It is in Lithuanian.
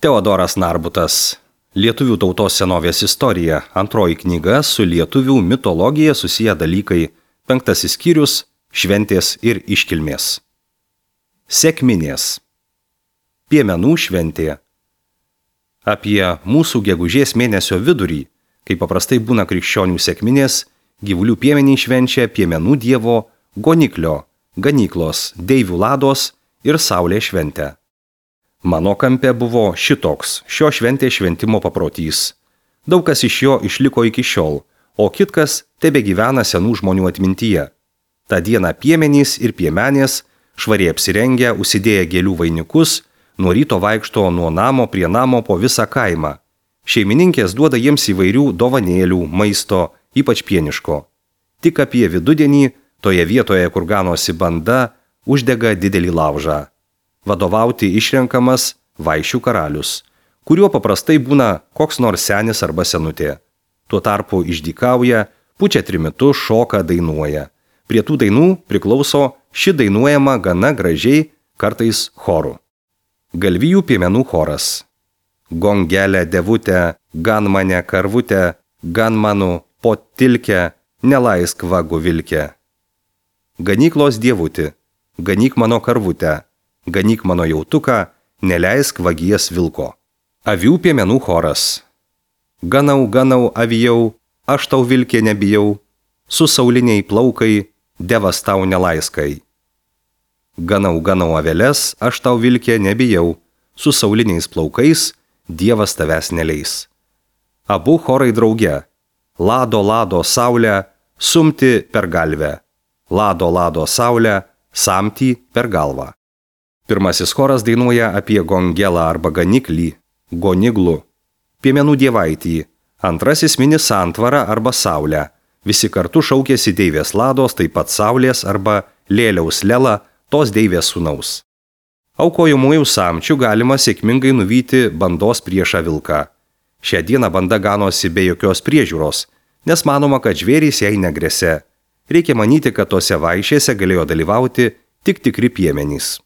Teodoras Narbutas. Lietuvių tautos senovės istorija. Antroji knyga su lietuvių mitologija susiję dalykai. 5 skyrius – šventės ir iškilmės. Sekminės. Piemenų šventė. Apie mūsų gegužės mėnesio vidurį, kai paprastai būna krikščionių sekminės, gyvulių piemeniai švenčia piemenų dievo Goniklio, ganyklos, deivių Lados ir Saulės šventę. Mano kampe buvo šitoks šio šventės šventimo paprotys. Daug kas iš jo išliko iki šiol, o kitkas tebegyvena senų žmonių atmintyje. Ta diena piemenys ir piemenės, švariai apsirengę, užsidėję gėlių vainikus, nuo ryto vaikšto nuo namo prie namo po visą kaimą. Šeimininkės duoda jiems įvairių dovanėlių, maisto, ypač pieniško. Tik apie vidudienį, toje vietoje, kur ganosi banda, uždega didelį laužą. Vadovauti išrenkamas vaišių karalius, kuriuo paprastai būna koks nors senis arba senutė. Tuo tarpu išdykauja, pučia trimitu, šoka, dainuoja. Prie tų dainų priklauso ši dainuojama gana gražiai, kartais choru. Galvijų piemenų choras. Gongelė devutė, gan mane karvutė, gan manu potilkę, nelaisk vagu vilkę. Ganyklos dievuti, ganyk mano karvutę, ganyk mano jautuką, neleisk vagies vilko. Avių piemenų choras. Ganau, ganau, avijau, aš tau vilkė nebijau, su sauliniai plaukai, devas tau nelaiskai. Ganau, ganau aveles, aš tau vilkė nebijau, su sauliniais plaukais, dievas tavęs neleis. Abu chorai drauge. Lado, lado, saulę, sumti per galvę. Lado, lado, saulę, samtį per galvą. Pirmasis choras dainuoja apie gongelą arba ganiklį, goniglų, piemenų dievaitį. Antrasis mini santvarą arba saulę. Visi kartu šaukėsi deivės Lados, taip pat saulės arba lėliaus Lela, tos deivės sūnaus. Aukojamųjų samčių galima sėkmingai nuvyti bandos priešą vilką. Šią dieną banda ganosi be jokios priežiūros, nes manoma, kad žvėrys jai negresia. Reikia manyti, kad tose vaišėse galėjo dalyvauti tik tikri piemenys.